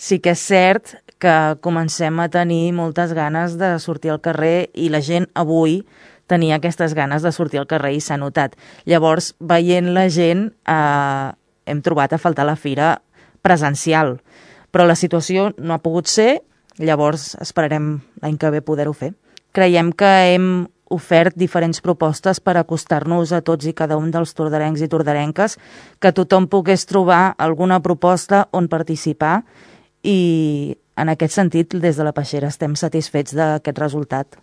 sí que és cert que comencem a tenir moltes ganes de sortir al carrer i la gent avui tenia aquestes ganes de sortir al carrer i s'ha notat. Llavors, veient la gent, hem trobat a faltar la fira presencial, però la situació no ha pogut ser, llavors esperarem l'any que ve poder-ho fer. Creiem que hem ofert diferents propostes per acostar-nos a tots i cada un dels tordarencs i tordarenques, que tothom pogués trobar alguna proposta on participar i en aquest sentit des de la Peixera estem satisfets d'aquest resultat.